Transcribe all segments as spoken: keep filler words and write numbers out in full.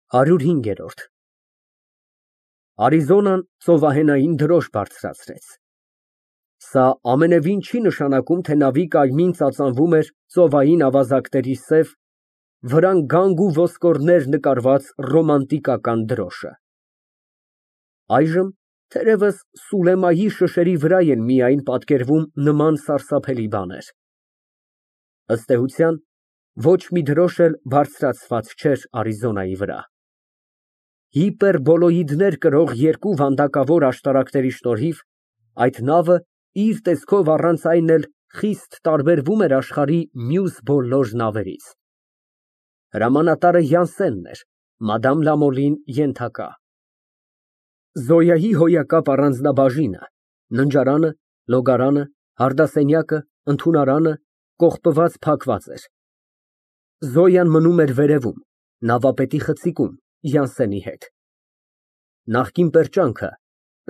ՀԱՐՈՒՐՀԻՆԳԵՐՈՐԴ Արիզոնան ծովահենային դրոշ բարձրացրեց։ Սա ամենևին չի նշանակում, թե նավի կայմին ծածանվում էր ծովային ավազակների սև, վրան գանգ ու ոսկորներ նկարված ռոմանտիկական դրոշը։ Այժմ, թերևս, Սուլեմայի շշերի վրա են միայն պատկերվում նման սարսափելի բաներ։ Ըստ էության, ոչ մի դրոշ էլ բարձրացված չէր Արիզոնայի վրա։ Հիպերբոլոիդներ կրող երկու վանդակավոր աշտարակների շնորհիվ այդ նավը իր տեսքով առանց այն էլ խիստ տարբերվում էր աշխարհի մյուս բոլոր նավերից։ Հրամանատարը Յանսենն էր, Մադամ Լամոլին ենթակա։ Զոյայի հոյակապ առանձնաբաժինը, ննջարանը, լոգարանը, հարդասենյակը, ընդունարանը կողպված փակված էր։ Զոյան մնում էր վերևում, նավապետի խցիկում, Յանսենի հետ։ Նախկին պերճանքը,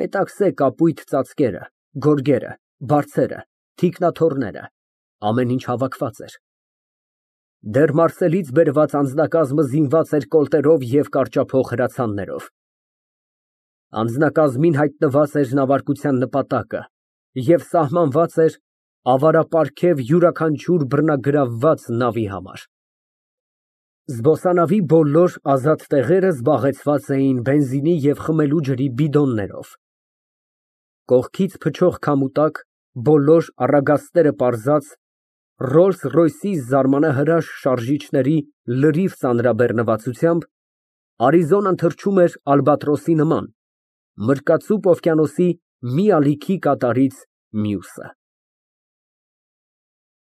մետաքսե կապույտ ծածկերը, գորգերը, բարձերը, թիկնաթոռները, ամեն ինչ հավաքված էր։ Դեռ Մարսելից բերված անձնակազմը զինված էր կոլտերով և կարճափող հրացաններով։ Անձնակազմին հայտնված էր նավարկության նպատակը և սահմանված էր ավարապարգև յուրաքանչյուր բռնագրավված նավի համար։ Զբոսանավի բոլոր ազատ տեղերը զբաղեցված էին բենզինի և խմելու ջրի բիդոններով։ Կողքից փչող քամու տակ, բոլոր առագաստները պարզած, Ռոլս֊Ռոյսի զարմանահրաշ շարժիչների լրիվ ծանրաբեռնվածությամբ, Արիզոնան թռչում էր ալբատրոսի նման, մրկածուփ օվկիանոսի մի ալիքի կատարից մյուսը։